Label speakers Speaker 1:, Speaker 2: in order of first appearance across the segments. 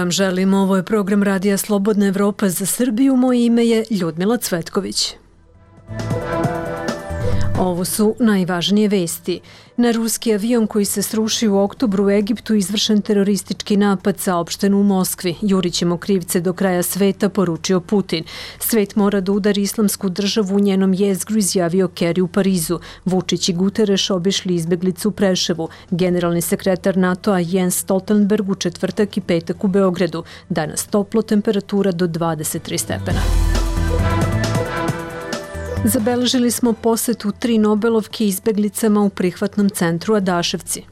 Speaker 1: vam želim. Ovo je program Radija Slobodna Evropa za Srbiju. Moje ime je Ljudmila Cvetković. Ovo su najvažnije vesti. Na ruski avion koji se srušio u oktobru u Egiptu izvršen teroristički napad, saopšteno u Moskvi. Jurićemo krivce do kraja sveta, poručio Putin. Svet mora da udari islamsku državu u njenom jezgru, izjavio Kerry u Parizu. Vučić i Guterres obišli izbeglicu u Preševu. Generalni sekretar NATO-a Jens Stoltenberg u četvrtak i petak u Beogradu. Danas toplo, temperatura do 23 stepena. Zabeležili smo posetu 3 Nobelovke izbeglicama u prihvatnom centru Adaševci.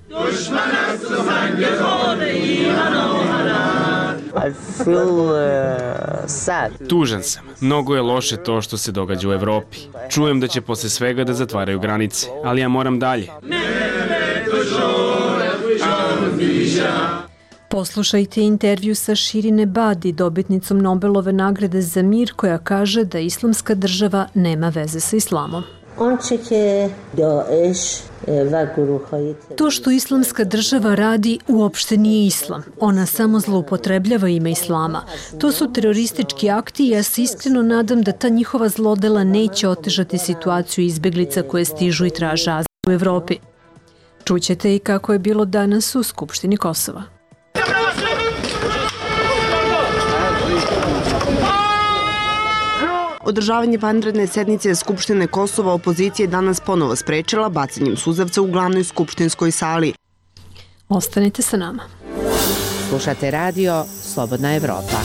Speaker 2: Tužan sam. Mnogo je loše to što se događa u Evropi. Čujem da će posle svega da zatvaraju granice, ali ja moram dalje.
Speaker 1: Poslušajte intervju sa Shirin Ebadi, dobitnicom Nobelove nagrade za mir, koja kaže da islamska država nema veze sa islamom. To što islamska država radi uopšte nije islam. Ona samo zloupotrebljava ime islama. To su teroristički akti i ja se iskreno nadam da ta njihova zlodela neće otežati situaciju izbeglica koje stižu i traže azil u Evropi. Čućete i kako je bilo danas u Skupštini Kosova.
Speaker 3: Održavanje vanredne sednice Skupštine Kosova opozicija je danas ponovo sprečila bacanjem suzavca u glavnoj skupštinskoj sali.
Speaker 1: Ostanite sa nama.
Speaker 4: Slušate radio Slobodna Evropa.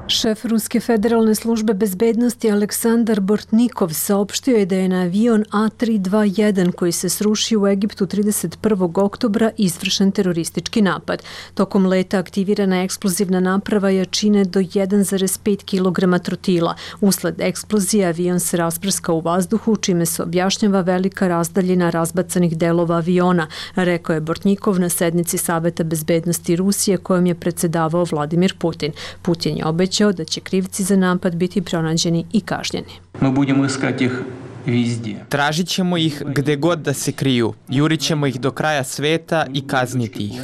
Speaker 1: Šef Ruske federalne službe bezbednosti Aleksandar Bortnikov saopštio je da je na avion A321 koji se srušio u Egiptu 31. oktobra izvršen teroristički napad. Tokom leta aktivirana eksplozivna naprava jačine do 1,5 kg trotila. Usled eksplozije avion se rasprskao u vazduhu, čime se objašnjava velika razdaljina razbacanih delova aviona, rekao je Bortnikov na sednici Saveta bezbednosti Rusije kojom je predsedavao Vladimir Putin. Putin je obećao da će krivci za napad biti pronađeni i kažnjeni.
Speaker 5: Tražit ćemo ih gde god da se kriju, jurit ćemo ih do kraja sveta i kazniti ih.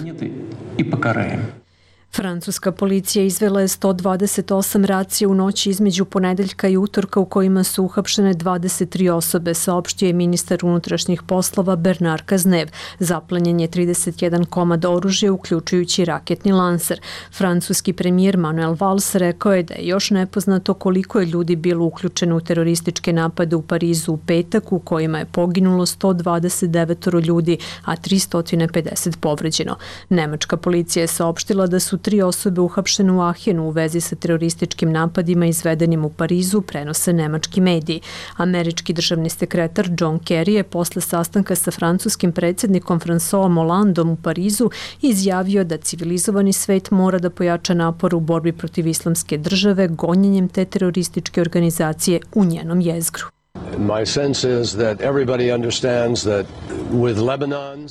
Speaker 1: Francuska policija izvela je 128 racija u noći između ponedeljka i utorka u kojima su uhapšene 23 osobe, saopštio je ministar unutrašnjih poslova Bernard Cazeneuve. Zaplenjen je 31 komad oružja, uključujući raketni lanser. Francuski premijer Manuel Valls rekao je da je još nepoznato koliko je ljudi bilo uključeno u terorističke napade u Parizu u petak, u kojima je poginulo 129 ljudi, a 350 povređeno. Nemačka policija je saopštila da su 3 osobe uhapšene u Ahenu u vezi sa terorističkim napadima izvedenim u Parizu, prenose nemački mediji. Američki državni sekretar John Kerry je posle sastanka sa francuskim predsjednikom François Hollandeom u Parizu izjavio da civilizovani svet mora da pojača napor u borbi protiv islamske države gonjenjem te terorističke organizacije u njenom jezgru.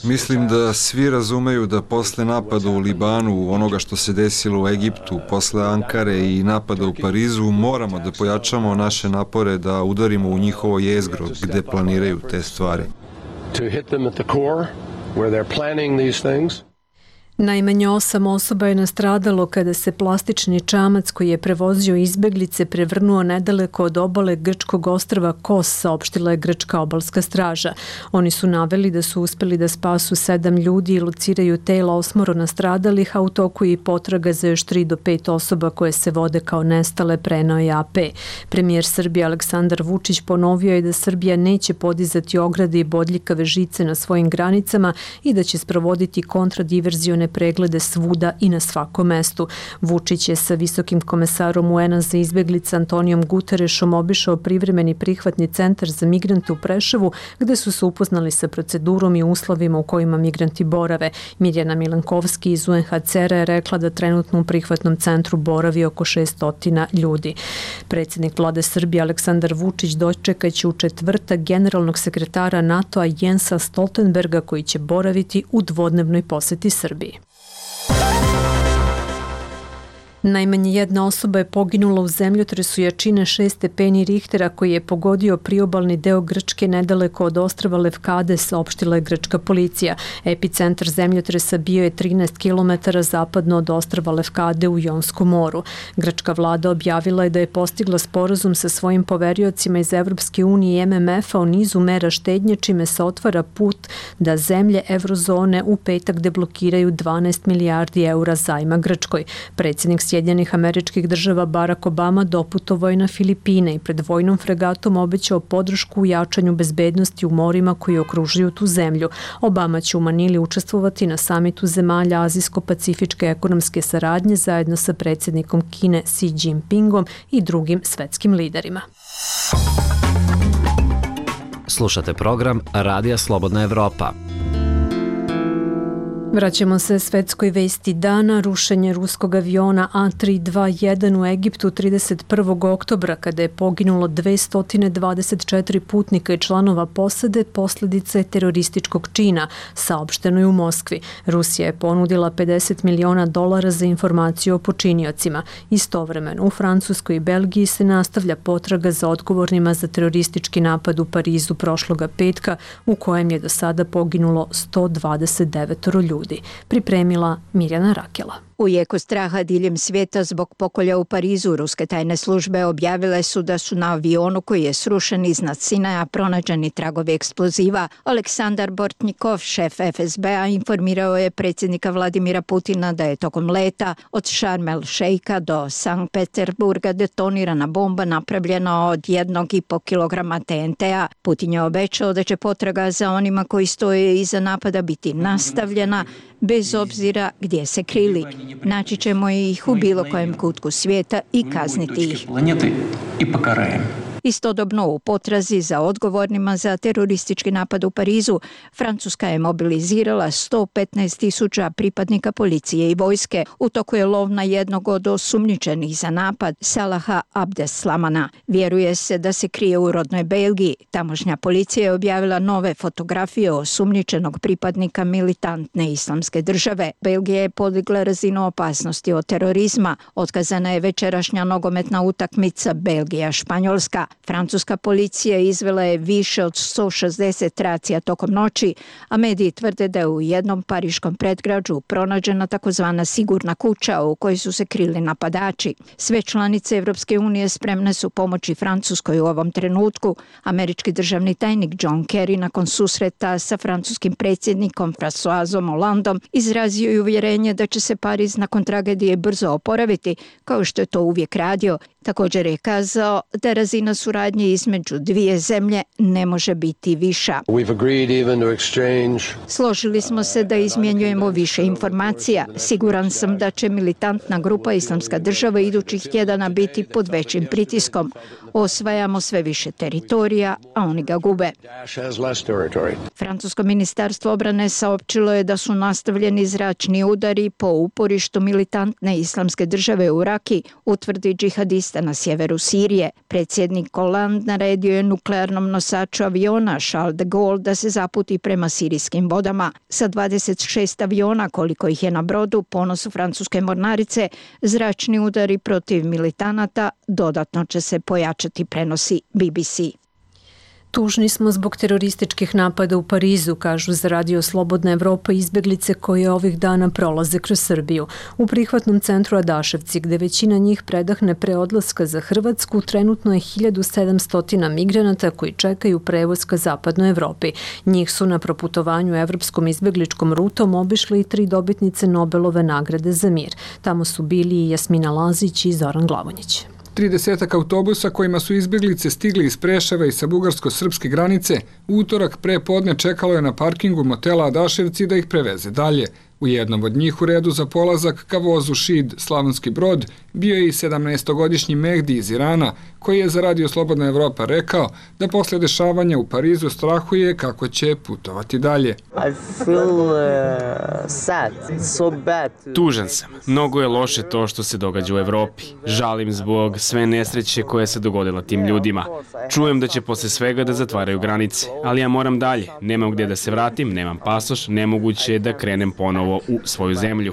Speaker 6: Mislim da svi razumeju da posle napada u Libanu, onoga što se desilo u Egiptu, posle Ankare i napada u Parizu, moramo da pojačamo naše napore da udarimo u njihovo jezgro gde planiraju te stvari.
Speaker 1: Najmanje 8 osoba je nastradalo kada se plastični čamac koji je prevozio izbeglice prevrnuo nedaleko od obale grčkog ostrva Kos, saopštila je grčka obalska straža. Oni su naveli da su uspeli da spasu 7 ljudi i lociraju tela 8 nastradalih, a u toku je i potraga za još 3 do 5 osoba koje se vode kao nestale, preneo je AP. Premijer Srbije Aleksandar Vučić ponovio je da Srbija neće podizati ograde i bodljikave žice na svojim granicama i da će sprovoditi kontradiverzione preglede svuda i na svakom mestu. Vučić je sa visokim komesarom UN-a za izbeglice Antonijom Guterresom obišao privremeni prihvatni centar za migrante u Preševu, gde su se upoznali sa procedurom i uslovima u kojima migranti borave. Mirjana Milankovski iz UNHCR-a je rekla da trenutno u prihvatnom centru boravi oko 600 ljudi. Predsjednik vlade Srbije Aleksandar Vučić dočekaće u četvrtak generalnog sekretara NATO-a Jensa Stoltenberga, koji će boraviti u dvodnevnoj poseti Srbiji. Najmanje jedna osoba je poginula u zemljotresu jačine 6 stepeni Richtera koji je pogodio priobalni deo Grčke nedaleko od ostrva Levkade, saopštila je grčka policija. Epicentar zemljotresa bio je 13 km zapadno od ostrva Levkade u Jonskom moru. Grčka vlada objavila je da je postigla sporazum sa svojim poveriocima iz Evropske unije i MMF-a o nizu mera štednje, čime se otvara put da zemlje evrozone u petak deblokiraju 12 milijardi eura zajma Grčkoj. Predsjednik Sjedinjenih Američkih Država Barack Obama doputovao je na Filipine i pred vojnom fregatom obećao podršku u jačanju bezbednosti u morima koji okružuju tu zemlju. Obama će u Manili učestvovati na samitu zemalja Azijsko-pacifičke ekonomske saradnje zajedno sa predsjednikom Kine Xi Jinpingom i drugim svetskim liderima.
Speaker 7: Slušate program Radija Slobodna Evropa.
Speaker 1: Vraćamo se svetskoj vesti dana. Rušenje ruskog aviona A321 u Egiptu 31. oktobra, kada je poginulo 224 putnika i članova posade, posljedica je terorističkog čina, saopšteno je u Moskvi. Rusija je ponudila $50 miliona za informaciju o počiniocima. Istovremeno, u Francuskoj i Belgiji se nastavlja potraga za odgovornima za teroristički napad u Parizu prošloga petka, u kojem je do sada poginulo 129 ljudi. Pripremila Mirjana Rakela.
Speaker 8: U jeku straha diljem svijeta zbog pokolja u Parizu, ruske tajne službe objavile su da su na avionu koji je srušen iznad Sinaja pronađeni tragovi eksploziva. Aleksandar Bortnikov, šef FSB-a, informirao je predsjednika Vladimira Putina da je tokom leta od Šarm el Šejka do Sankt Peterburga detonirana bomba napravljena od 1,5 kilograma TNT-a. Putin je obećao da će potraga za onima koji stoje iza napada biti nastavljena, bez obzira gdje se krili. Naći ćemo ih u bilo kojem kutku svijeta i kazniti ih. Istodobno u potrazi za odgovornima za teroristički napad u Parizu, Francuska je mobilizirala 115.000 pripadnika policije i vojske. U toku je lov na jednog od osumnjičenih za napad, Salaha Abdeslamana. Vjeruje se da se krije u rodnoj Belgiji. Tamošnja policija je objavila nove fotografije osumnjičenog pripadnika militantne islamske države. Belgija je podigla razinu opasnosti od terorizma. Otkazana je večerašnja nogometna utakmica Belgija-Španjolska. Francuska policija izvela je više od 160 racija tokom noći, a mediji tvrde da je u jednom pariškom predgrađu pronađena takozvana sigurna kuća u kojoj su se krili napadači. Sve članice Evropske unije spremne su pomoći Francuskoj u ovom trenutku. Američki državni tajnik John Kerry nakon susreta sa francuskim predsjednikom Françoisom Hollandom izrazio je uvjerenje da će se Pariz nakon tragedije brzo oporaviti, kao što je to uvijek radio. Također je kazao da razina suradnje između dvije zemlje ne može biti viša. Složili smo se da izmjenjujemo više informacija. Siguran sam da će militantna grupa Islamska država idućih tjedana biti pod većim pritiskom. Osvajamo sve više teritorija, a oni ga gube. Francusko ministarstvo obrane saopćilo je da su nastavljeni zračni udari po uporištu militantne Islamske države u Raki, utvrdi džihadista na sjeveru Sirije. Predsjednik Hollande naredio je nuklearnom nosaču aviona Charles de Gaulle da se zaputi prema sirijskim vodama. Sa 26 aviona, koliko ih je na brodu, ponosu francuske mornarice, zračni udari protiv militanata dodatno će se pojačati, prenosi BBC.
Speaker 1: Tužni smo zbog terorističkih napada u Parizu, kažu za Radio Slobodna Evropa izbjeglice koje ovih dana prolaze kroz Srbiju. U prihvatnom centru Adaševci, gde većina njih predahne pre odlaska za Hrvatsku, trenutno je 1700 migranata koji čekaju prevoz ka zapadnoj Evropi. Njih su na proputovanju evropskom izbjegličkom rutom obišli i 3 dobitnice Nobelove nagrade za mir. Tamo su bili i Jasmina Lazić i Zoran Glavonjić.
Speaker 9: 30 autobusa kojima su izbjeglice stigli iz Preševa i sa bugarsko-srpske granice, utorak pre podne čekalo je na parkingu motela Adaševci da ih preveze dalje. U jednom od njih u redu za polazak ka vozu Šid Slavonski Brod bio je i 17-godišnji Mehdi iz Irana, koji je za Radio Slobodna Evropa rekao da posle dešavanja u Parizu strahuje kako će putovati dalje.
Speaker 2: Tužan sam. Mnogo je loše to što se događa u Evropi. Žalim zbog sve nesreće koje se dogodila tim ljudima. Čujem da će posle svega da zatvaraju granice, ali ja moram dalje. Nemam gdje da se vratim, nemam pasoš, nemoguće je da krenem ponovo u svoju zemlju.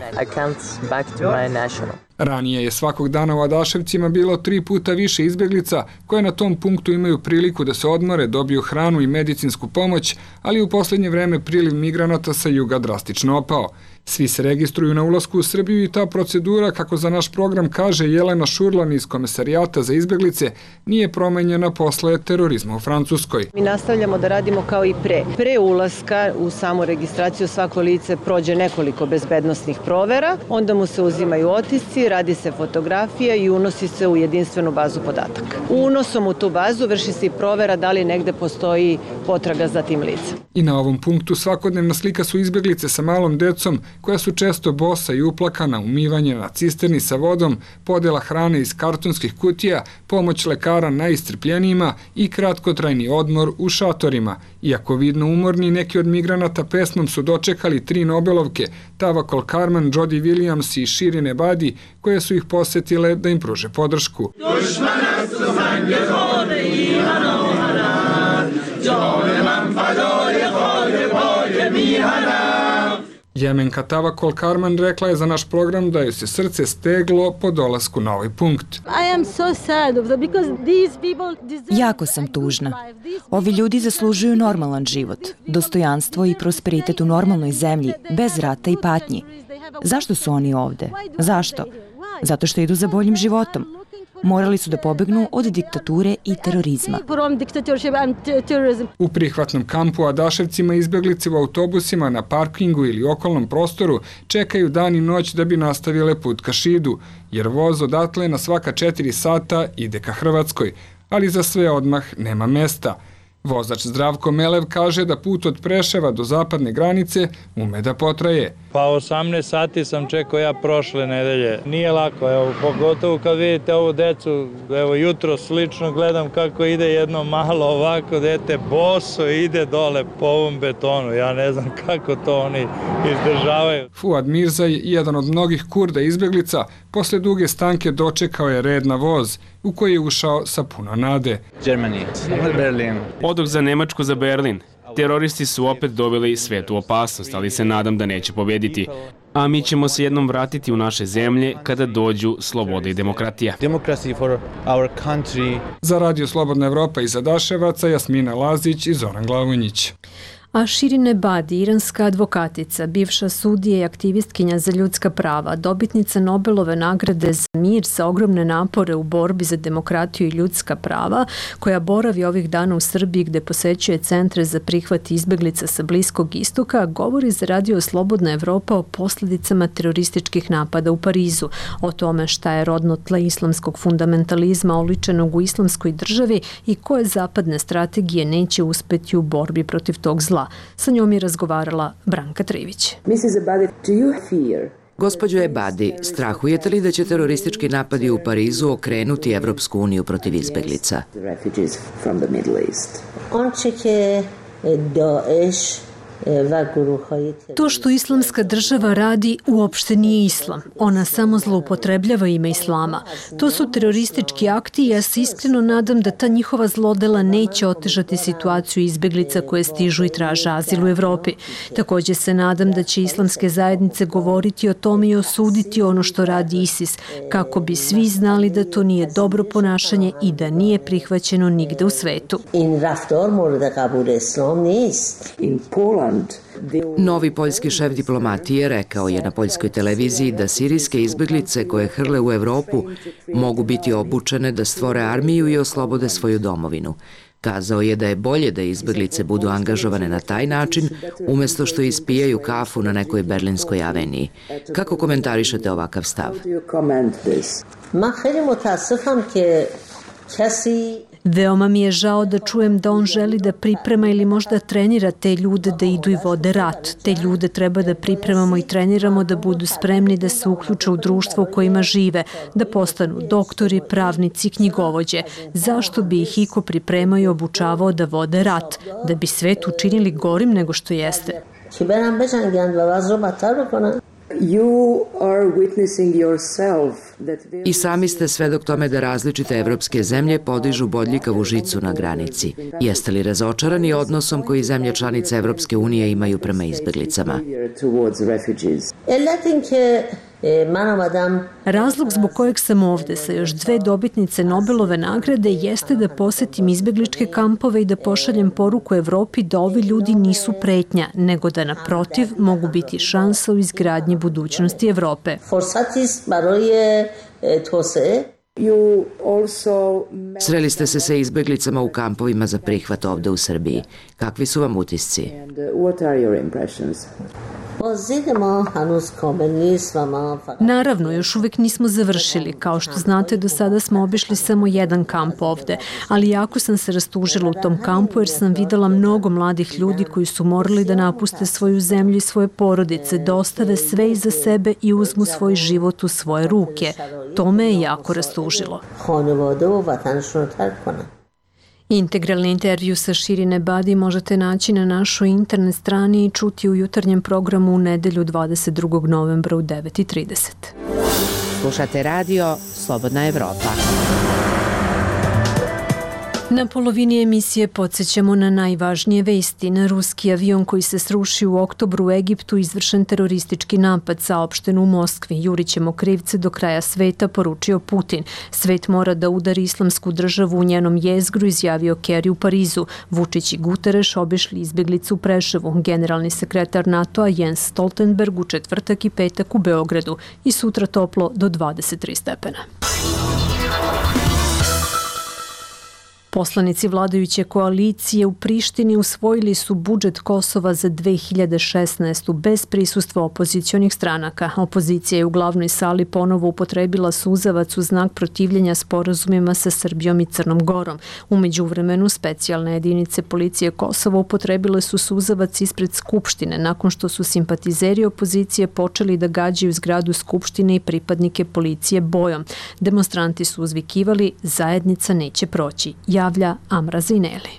Speaker 9: Ranije je svakog dana u Adaševcima bilo 3 puta više izbjeglica koje na tom punktu imaju priliku da se odmore, dobiju hranu i medicinsku pomoć, ali u posljednje vreme priliv migranata sa juga drastično opao. Svi se registruju na ulasku u Srbiju i ta procedura, kako za naš program kaže Jelena Šurlan iz Komesarijata za izbjeglice, nije promenjena posle terorizma u Francuskoj.
Speaker 10: Mi nastavljamo da radimo kao i pre. Pre ulaska u samu registraciju svako lice prođe nekoliko bezbednosnih provera, onda mu se uzimaju otisci, radi se fotografija i unosi se u jedinstvenu bazu podataka. Unosom u tu bazu vrši se i provera da li negde postoji potraga za tim licem.
Speaker 9: I na ovom punktu svakodnevna slika su izbjeglice sa malom decom, koja su često bosa i uplakana, umivanje na cisterni sa vodom, podela hrane iz kartonskih kutija, pomoć lekara najistrpljenijima i kratkotrajni odmor u šatorima. Iako vidno umorni, neki od migranata pesmom su dočekali 3 Nobelovke, Tawakkol Karman, Jody Williams i Shirin Ebadi, koje su ih posetile da im pruže podršku. Jemenka Tawakkol Karman rekla je za naš program da joj se srce steglo po dolasku na ovaj punkt.
Speaker 11: Jako sam tužna. Ovi ljudi zaslužuju normalan život, dostojanstvo i prosperitet u normalnoj zemlji, bez rata i patnji. Zašto su oni ovde? Zašto? Zato što idu za boljim životom. Morali su da pobegnu od diktature i terorizma.
Speaker 9: U prihvatnom kampu u Adaševcima izbjeglice u autobusima na parkingu ili okolnom prostoru čekaju dan i noć da bi nastavile put ka Šidu, jer voz odatle na svaka 4 sata ide ka Hrvatskoj, ali za sve odmah nema mesta. Vozač Zdravko Melev kaže da put od Preševa do zapadne granice ume da potraje.
Speaker 12: Pa 18 sati sam čekao ja prošle nedelje. Nije lako, evo, pogotovo kad vidite ovu decu, evo jutro slično gledam kako ide jedno malo ovako dete, boso ide dole po ovom betonu. Ja ne znam kako to oni izdržavaju.
Speaker 9: Fuad Mirzaj, jedan od mnogih Kurda izbjeglica, posle duge stanke dočekao je red na voz, u koji je ušao sa puno nade.
Speaker 2: Odoh za Nemačku, za Berlin. Teroristi su opet doveli svet u opasnost, ali se nadam da neće pobediti. A mi ćemo se jednom vratiti u naše zemlje kada dođu sloboda i demokratija.
Speaker 9: Za Radio Slobodna Evropa iz Adaševaca, Jasmina Lazić i Zoran Glavonjić.
Speaker 1: A Shirin Ebadi, iranska advokatica, bivša sudija i aktivistkinja za ljudska prava, dobitnica Nobelove nagrade za mir sa ogromne napore u borbi za demokratiju i ljudska prava, koja boravi ovih dana u Srbiji gde posećuje centre za prihvat izbeglica sa Bliskog istoka, govori za Radio Slobodna Evropa o posljedicama terorističkih napada u Parizu, o tome šta je rodno tle islamskog fundamentalizma oličenog u islamskoj državi i koje zapadne strategije neće uspeti u borbi protiv tog zla. Sa njom je razgovarala Branka Trivić.
Speaker 13: Gospođo Ebadi, strahujete li da će teroristički napadi u Parizu okrenuti Evropsku uniju protiv izbeglica?
Speaker 1: To što islamska država radi uopšte nije islam. Ona samo zloupotrebljava ime islama. To su teroristički akti i ja se iskreno nadam da ta njihova zlodela neće otežati situaciju izbeglica koje stižu i traže azil u Evropi. Također se nadam da će islamske zajednice govoriti o tome i osuditi ono što radi ISIS, kako bi svi znali da to nije dobro ponašanje i da nije prihvaćeno nigde u svetu.
Speaker 13: Novi poljski šef diplomatije rekao je na poljskoj televiziji da sirijske izbeglice koje hrle u Evropu mogu biti obučene da stvore armiju i oslobode svoju domovinu. Kazao je da je bolje da izbeglice budu angažovane na taj način, umjesto što ispijaju kafu na nekoj berlinskoj aveniji. Kako komentarišete ovakav stav?
Speaker 1: Veoma mi je žao da čujem da on želi da priprema ili možda trenira te ljude da idu i vode rat. Te ljude treba da pripremamo i treniramo da budu spremni da se uključe u društvo u kojima žive, da postanu doktori, pravnici, knjigovođe. Zašto bi ih iko pripremao i obučavao da vode rat? Da bi svet učinili gorim nego što jeste.
Speaker 13: I sami ste svedok tome da različite evropske zemlje podižu bodljikavu žicu na granici. Jeste li razočarani odnosom koji zemlje članice Evropske unije imaju prema izbeglicama?
Speaker 1: Razlog zbog kojeg sam ovde sa još 2 dobitnice Nobelove nagrade jeste da posetim izbegličke kampove i da pošaljem poruku Evropi da ovi ljudi nisu pretnja, nego da naprotiv mogu biti šansa u izgradnji budućnosti Evrope.
Speaker 13: Sreli ste se sa izbeglicama u kampovima za prihvat ovde u Srbiji. Kakvi su vam utisci?
Speaker 1: Naravno, još uvek nismo završili. Kao što znate, do sada smo obišli samo jedan kamp ovde, ali jako sam se rastužila u tom kampu jer sam videla mnogo mladih ljudi koji su morali da napuste svoju zemlju i svoje porodice, da ostave sve iza sebe i uzmu svoj život u svoje ruke. To me je jako rastužilo. Integralni intervju sa Shirin Ebadi možete naći na našoj internet strani i čuti u jutarnjem programu u nedelju 22. novembra u 9:30.
Speaker 4: Slušate radio Slobodna Evropa.
Speaker 1: Na polovini emisije podsjećamo na najvažnije vesti. Na ruski avion koji se srušio u oktobru u Egiptu izvršen teroristički napad, saopšteno u Moskvi. Jurićemo krivce do kraja sveta, poručio Putin. Svet mora da udari islamsku državu u njenom jezgru, izjavio Kerry u Parizu. Vučić i Guterres obišli izbeglice u Preševu. Generalni sekretar NATO-a Jens Stoltenberg u četvrtak i petak u Beogradu i sutra toplo do 23 stepena. Poslanici vladajuće koalicije u Prištini usvojili su budžet Kosova za 2016. bez prisustva opozicionih stranaka. Opozicija je u glavnoj sali ponovo upotrebila suzavac u znak protivljenja sporazumima sa Srbijom i Crnom Gorom. U međuvremenu specijalne jedinice policije Kosova upotrebile su suzavac ispred Skupštine nakon što su simpatizeri opozicije počeli da gađaju zgradu Skupštine i pripadnike policije bojom. Demonstranti su uzvikivali zajednica neće proći. Javlja Amra Zineli.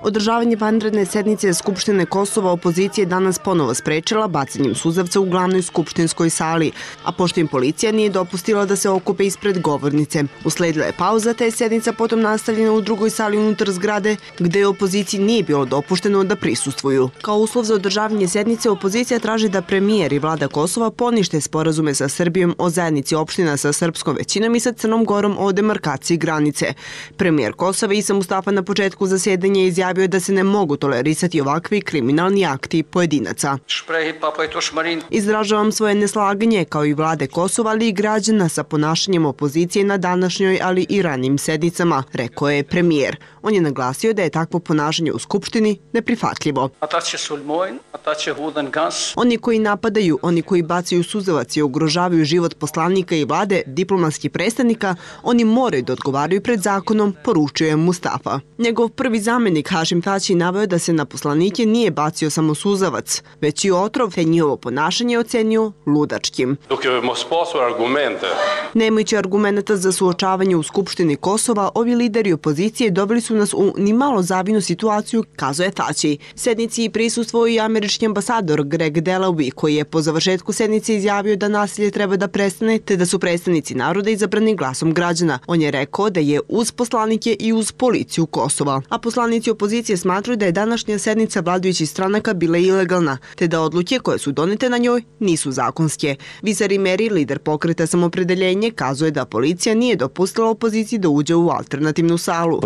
Speaker 3: Održavanje vanredne sednice Skupštine Kosova opozicija je danas ponovo sprečila bacanjem suzavca u glavnoj skupštinskoj sali, a pošto im policija nije dopustila da se okupe ispred govornice. Usledila je pauza, te je sednica potom nastavljena u drugoj sali unutar zgrade, gde opoziciji nije bilo dopušteno da prisustvuju. Kao uslov za održavanje sednice, opozicija traži da premijer i vlada Kosova ponište sporazume sa Srbijom o zajednici opština sa srpskom većinom i sa Crnom Gorom o demarkaciji granice. Premijer Kosova Isa Mustafa na početku zasedanja izjavio da se ne mogu tolerisati ovakvi kriminalni akti pojedinaca. Izražavam svoje neslaganje kao i vlade Kosova, ali i građana sa ponašanjem opozicije na današnjoj, ali i ranijim sednicama, rekao je premijer. On je naglasio da je takvo ponašanje u Skupštini neprihvatljivo. Oni koji napadaju, oni koji bacaju suzavac i ugrožavaju život poslanika i vlade, diplomatskih predstavnika, oni moraju da odgovaraju pred zakonom, poručio je Mustafa. Njegov prvi zamenik Hašim Tači naveo da se na poslanike nije bacio samo suzavac, već i otrov, te njihovo ponašanje ocenio ludačkim. Nemajući argumenta za suočavanje u Skupštini Kosova, ovi lideri opozicije doveli su nas u nimalo zavidnu situaciju, kazao je Tači. Sednici prisustvovao i američki ambasador Greg Delawy, koji je po završetku sednice izjavio da nasilje treba da prestane, te da su predstavnici naroda izabrani glasom građana. On je rekao da je uz poslanike i uz policiju Kosova. A poslanici opozicije smatraju da je današnja sednica vladajućih stranaka bila ilegalna, te da odluke koje su donete na njoj nisu zakonske. Visari Meri, lider pokreta Samopredeljenje, kazuje da policija nije dopustila opoziciji da uđe u alternativnu salu.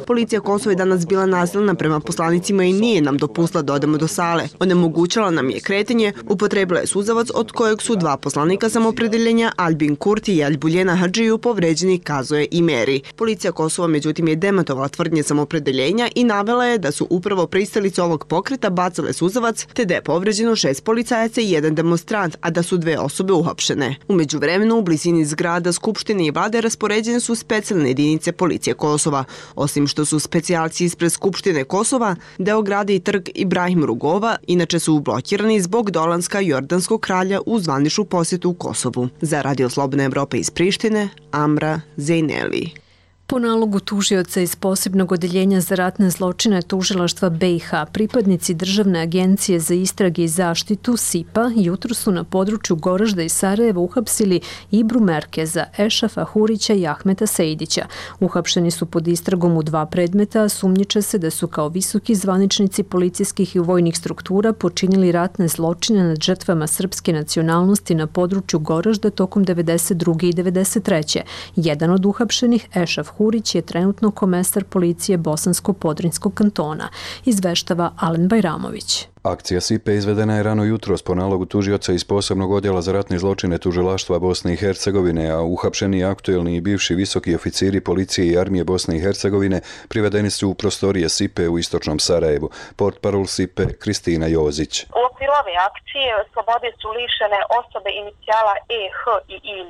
Speaker 3: Policija Kosova je danas bila nasilna prema poslanicima i nije nam dopustila da odemo do sale. Onemogućala nam je kretanje, upotrebila je suzavac od kojeg su 2 poslanika Samopredeljenja, Albin Kurti i Albuljena Hadžiju, povređeni, kazuje i Meri. Policija Kosova međutim je demantovala tvrdnje Samopredeljenja i navela je da su upravo pristalice ovog pokreta bacale suzavac, te da je povređeno 6 policajaca i 1 demonstrant, a da su 2 osobe uhapšene. U međuvremenu u blizini zgrada Skupštine i vlade raspoređene su specijalne jedinice policije Kosova. Osim što su specijalci ispred Skupštine Kosova, deo grada i trg Ibrahim Rugova inače su blokirani zbog dolaska jordanskog kralja u zvaničnu posjetu u Kosovu. Za Radio Slobodna Evropa iz Prištine, Amra Zineli.
Speaker 1: Po nalogu tužioca iz posebnog odeljenja za ratne zločine tužilaštva BiH, pripadnici Državne agencije za istrage i zaštitu SIPA jutro su na području Goražda i Sarajeva uhapsili Ibru Merkeza, Ešafa Hurića i Ahmeta Sejdića. Uhapšeni su pod istragom u 2 predmeta, a sumnjiče se da su kao visoki zvaničnici policijskih i vojnih struktura počinili ratne zločine nad žrtvama srpske nacionalnosti na području Goražda tokom 92. i 93. Jedan od uhapšenih, Ešaf Hurić, je trenutno komesar policije Bosansko-Podrinjskog kantona, izveštava Alen Bajramović.
Speaker 14: Akcija SIPE izvedena je rano jutros po nalogu tužioca iz posebnog odjela za ratne zločine tužilaštva Bosne i Hercegovine, a uhapšeni aktuelni i bivši visoki oficiri policije i armije Bosne i Hercegovine privedeni su u prostorije SIPE u istočnom Sarajevu. Portparol SIPE Kristina Jozić.
Speaker 15: U okviru ove akcije slobode su lišene osobe inicijala E, H i IM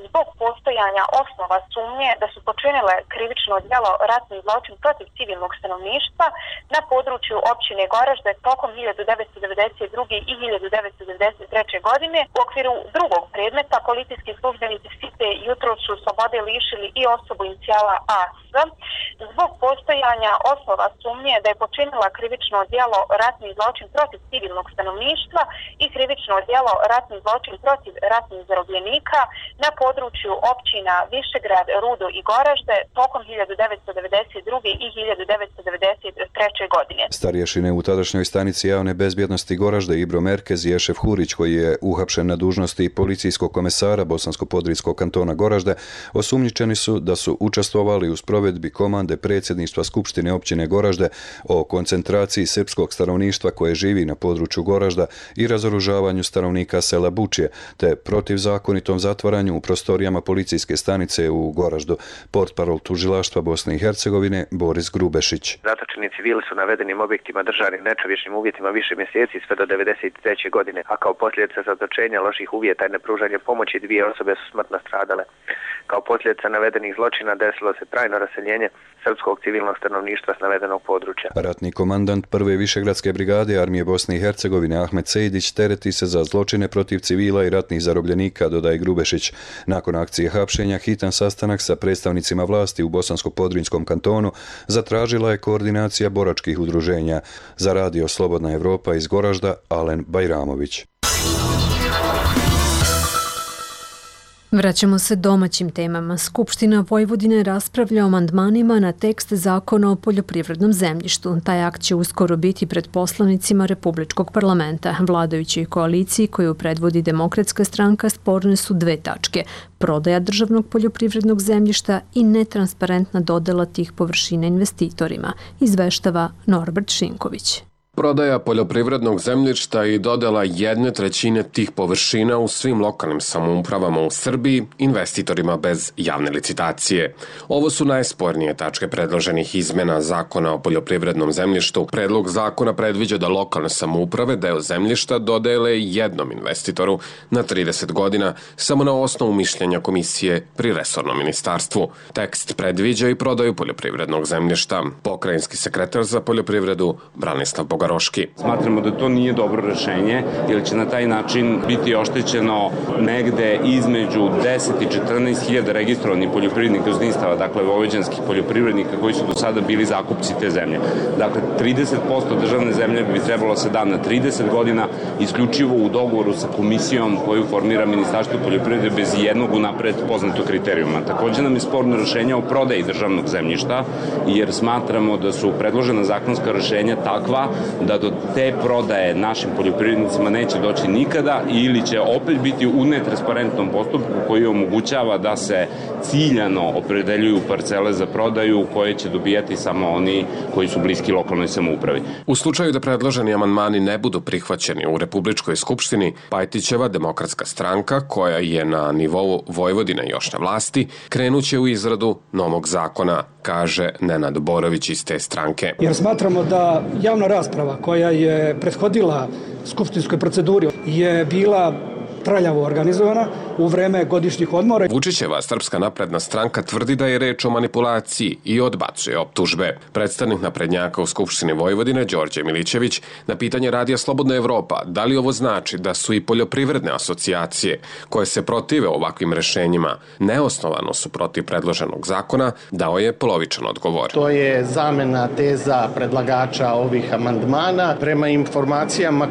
Speaker 15: zbog postojanja osnova sumnje da su počinile krivično djelo ratni zločin protiv civilnog stanovništva na području općine Goražde tokom 1992. i 1993. godine. U okviru drugog predmeta policijski službenici SIPE jutro su slobode lišili i osobu inicijala AS zbog postojanja osnova sumnje da je počinila krivično djelo ratni zločin protiv civilnog stanovništva i krivično djelo ratni zločin protiv ratnih zarobljenika na području općina Višegrad, Rudo i Goražde tokom 1992. i 1993. godine.
Speaker 14: Starješine u tadašnjoj stanici javne bezbjednosti Goražde Ibro Merkez i Ešef Hurić, koji je uhapšen na dužnosti policijskog komesara Bosansko-Podrinjskog kantona Goražde, osumnjičeni su da su učestvovali u sprovedbi komande predsjedništva Skupštine općine Goražde o koncentraciji srpskog stanovništva koje živi na području Goražda i razoružavanju stanovnika sela Bučje, te protivzakonitom zatvaranju u prostorijama policijske stanice u Goraždu. Portparol tužilaštva Bosne i Hercegovine Boris Grubešić.
Speaker 16: Zatočeni civili su navedenim objektima držani nečovječnim uvjetima više mjeseci sve do 1993. godine, a kao posljedica zatočenja, loših uvjeta i nepružanja pomoći 2 osobe su smrtno stradale. Kao posljedica navedenih zločina desilo se trajno raseljenje srpskog civilnog stanovništva s navedenog područja.
Speaker 14: Ratni komandant Prve Višegradske brigade armije Bosne i Hercegovine Ahmet Sejdić tereti se za zločine protiv civila i ratnih zarobljenika, dodaje Grubešić. Nakon akcije hapšenja, hitan sastanak sa predstavnicima vlasti u Bosansko-Podrinjskom kantonu zatražila je koordinacija boračkih udruženja. Za Radio Slobodna Evropa iz Goražda, Alen Bajramović.
Speaker 1: Vraćamo se domaćim temama. Skupština Vojvodine raspravlja o amandmanima na tekst zakona o poljoprivrednom zemljištu. Taj akt će uskoro biti pred poslanicima Republičkog parlamenta. Vladajućoj koaliciji koju predvodi Demokratska stranka sporne su 2 tačke. Prodaja državnog poljoprivrednog zemljišta i netransparentna dodela tih površina investitorima, izveštava Norbert Šinković.
Speaker 17: Prodaja poljoprivrednog zemljišta i dodela 1/3 tih površina u svim lokalnim samoupravama u Srbiji investitorima bez javne licitacije. Ovo su najspornije tačke predloženih izmena zakona o poljoprivrednom zemljištu. Predlog zakona predviđa da lokalne samouprave deo zemljišta dodele jednom investitoru na 30 godina samo na osnovu mišljenja komisije pri resornom ministarstvu. Tekst predviđa i prodaju poljoprivrednog zemljišta. Pokrajinski sekretar za poljoprivredu Branislav Bogaroški.
Speaker 18: Smatramo da to nije dobro rešenje, jer će na taj način biti oštećeno negde između 10 i 14 hiljada registrovanih poljoprivrednih gazdinstava, dakle vojvođanskih poljoprivrednika koji su do sada bili zakupci te zemlje. Dakle, 30% državne zemlje bi trebalo se da na 30 godina isključivo u dogovoru sa komisijom koju formira Ministarstvo poljoprivrede bez jednog unapred poznatog kriterijuma. Također nam je sporno rešenje o prodaji državnog zemljišta, jer smatramo da su predložena zakonska rešenja takva da do te prodaje našim poljoprivrednicima neće doći nikada ili će opet biti u netransparentnom postupku koji omogućava da se ciljano opredeljuju parcele za prodaju koje će dobijati samo oni koji su bliski lokalnoj samoupravi.
Speaker 17: U slučaju da predloženi amandmani ne budu prihvaćeni u Republičkoj skupštini, Pajtićeva Demokratska stranka, koja je na nivou Vojvodine još na vlasti, krenuće u izradu novog zakona, kaže Nenad Borović iz te stranke.
Speaker 19: Jer smatramo da javna rasprava koja je prethodila skupštinskoj proceduri je bila traljavo organizovana u vreme godišnjih odmora.
Speaker 17: Vučićeva Srpska napredna stranka tvrdi da je reč o manipulaciji i odbacuje optužbe. Predstavnik naprednjaka u Skupštini Vojvodine, Đorđe Milićević, na pitanje Radija Slobodna Evropa da li ovo znači da su i poljoprivredne asocijacije koje se protive ovakvim rešenjima neosnovano su protiv predloženog zakona, dao je polovičan odgovor.
Speaker 20: To je zamena teza predlagača ovih amandmana. Prema informacijama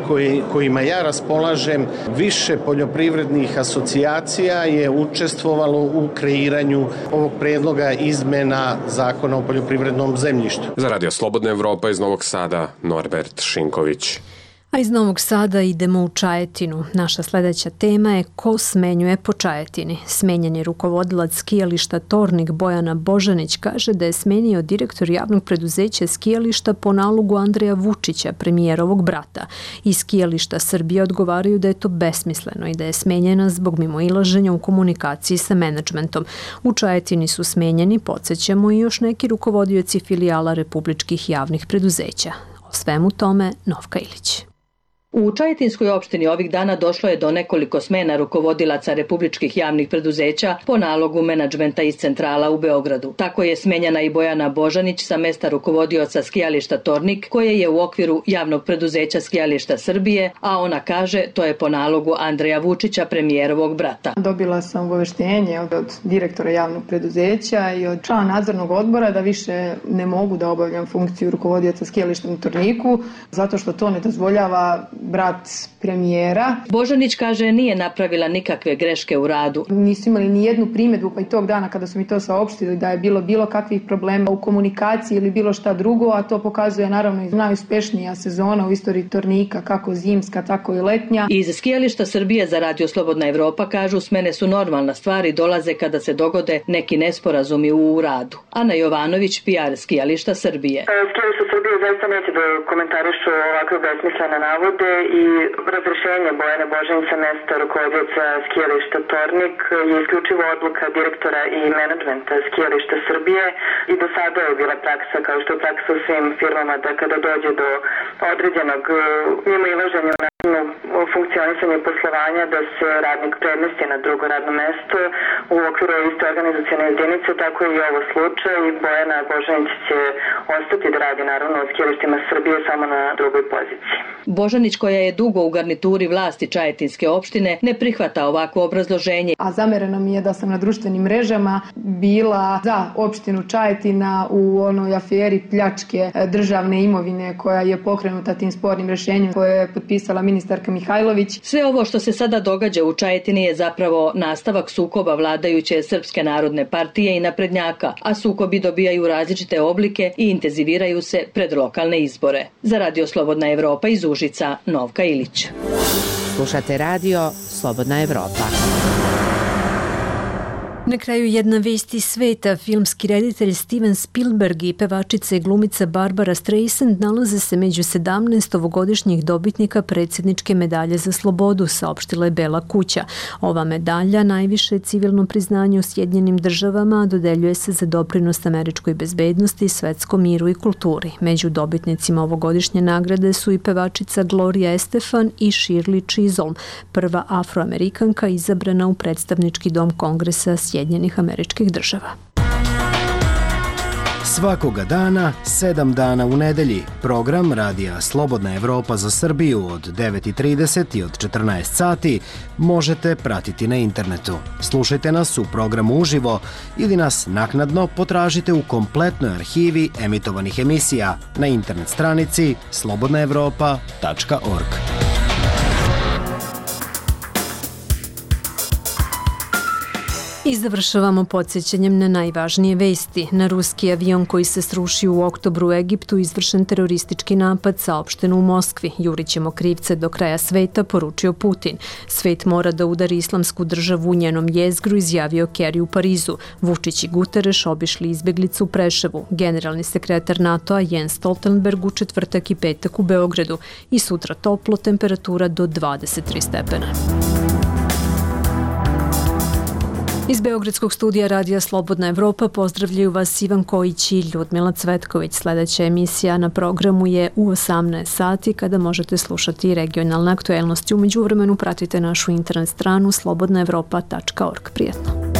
Speaker 20: kojima ja raspolažem, više poljoprivrednih asocijacija je učestvovalo u kreiranju ovog predloga izmena Zakona o poljoprivrednom zemljištu.
Speaker 17: Za Radio Slobodna Evropa iz Novog Sada, Norbert Šinković.
Speaker 1: A iz Novog Sada idemo u Čajetinu. Naša sledeća tema je ko smenjuje po Čajetini. Smenjen je rukovodilac skijališta Tornik Bojana Božanić kaže da je smenio direktor javnog preduzeća skijališta po nalogu Andreja Vučića, premijerovog brata. Iz skijališta Srbije odgovaraju da je to besmisleno i da je smenjena zbog mimoilaženja u komunikaciji sa menadžmentom. U Čajetini su smenjeni, podsjećamo, i još neki rukovodioci filijala republičkih javnih preduzeća. O svemu tome Novka Ilić.
Speaker 21: U Čajetinskoj opštini ovih dana došlo je do nekoliko smena rukovodilaca republičkih javnih preduzeća po nalogu menadžmenta iz centrala u Beogradu. Tako je smenjena i Bojana Božanić sa mesta rukovodioca skijališta Tornik, koje je u okviru javnog preduzeća skijališta Srbije, a ona kaže to je po nalogu Andreja Vučića, premijerovog brata.
Speaker 22: Dobila sam obaveštenje od direktora javnog preduzeća i od člana nadzornog odbora da više ne mogu da obavljam funkciju rukovodioca skijališta u Torniku, zato što to ne dozvoljava brat premijera.
Speaker 21: Božanić kaže nije napravila nikakve greške u radu.
Speaker 22: Nisu imali ni jednu primjedbu, pa i tog dana kada su mi to saopštili da je bilo kakvih problema u komunikaciji ili bilo šta drugo, a to pokazuje naravno i najuspešnija sezona u istoriji Tornika, kako zimska, tako i letnja.
Speaker 21: Iz skijališta Srbije za Radio Slobodna Evropa kažu smene su normalna stvar i dolaze kada se dogode neki nesporazumi u radu. Ana Jovanović, PR skijališta Srbije.
Speaker 23: Skijališta Srbije zaista neće da komentarišu ovakve besmislene navode i razrešenje Bojane Božanić sa mesta rukovodioca skijališta Tornik je isključivo odluka direktora i menadžmenta skijališta Srbije i do sada je bila praksa, kao što je praksa u svim firmama, da kada dođe do određenog mimoilaženja u funkcionisanju poslovanja, da se radnik premesti na drugo radno mesto u okviru iste organizacione jedinice, tako je i ovo slučaj. Bojana Božanić će ostati da radi naravno u skijalištima Srbije samo na drugoj poziciji.
Speaker 21: Božanić, koja je dugo u garnituri vlasti Čajetinske opštine, ne prihvata ovako obrazloženje.
Speaker 22: A zamereno mi je da sam na društvenim mrežama bila za opštinu Čajetina u onoj aferi pljačke državne imovine koja je pokrenuta tim spornim rešenjem koje je potpisala ministarka Mihajlović.
Speaker 21: Sve ovo što se sada događa u Čajetini je zapravo nastavak sukoba vladajuće Srpske narodne partije i naprednjaka, a sukobi dobijaju različite oblike i intenziviraju se pred lokalne izbore. Za Radio Slobodna Evropa iz Užica, Novka Ilić.
Speaker 4: Slušate Radio Slobodna Evropa.
Speaker 1: Na kraju jedna vest iz sveta. Filmski reditelj Steven Spielberg i pevačica i glumica Barbara Streisand nalaze se među 17 ovogodišnjih dobitnika predsjedničke medalje za slobodu, saopštila je Bela kuća. Ova medalja, najviše civilno priznanje u Sjedinjenim državama, dodeljuje se za doprinos američkoj bezbednosti, svetskom miru i kulturi. Među dobitnicima ovogodišnje nagrade su i pevačica Gloria Estefan i Shirley Chisholm, prva afroamerikanka izabrana u predstavnički dom Kongresa Sjedinjenih Američkih Država.
Speaker 24: Svakoga dana, 7 dana u nedelji, program Radija Slobodna Evropa za Srbiju od 9:30 i od 14 sati možete pratiti na internetu. Slušajte nas u programu uživo ili nas naknadno potražite u kompletnoj arhivi emitovanih emisija na internet stranici slobodnaevropa.org.
Speaker 1: I završavamo podsjećanjem na najvažnije vesti. Na ruski avion koji se srušio u oktobru u Egiptu izvršen teroristički napad, saopšteno u Moskvi. Jurićemo krivce do kraja sveta, poručio Putin. Svet mora da udari islamsku državu u njenom jezgru, izjavio Kerry u Parizu. Vučić i Guterres obišli izbeglicu u Preševu. Generalni sekretar NATO-a Jens Stoltenberg u četvrtak i petak u Beogradu. I sutra toplo, temperatura do 23 stepena. Iz Beogradskog studija Radija Slobodna Evropa pozdravljaju vas Ivan Kojić i Ljudmila Cvetković. Sledeća emisija na programu je u 18 sati kada možete slušati regionalne aktuelnosti. U međuvremenu pratite našu internet stranu slobodnaevropa.org. Prijetno.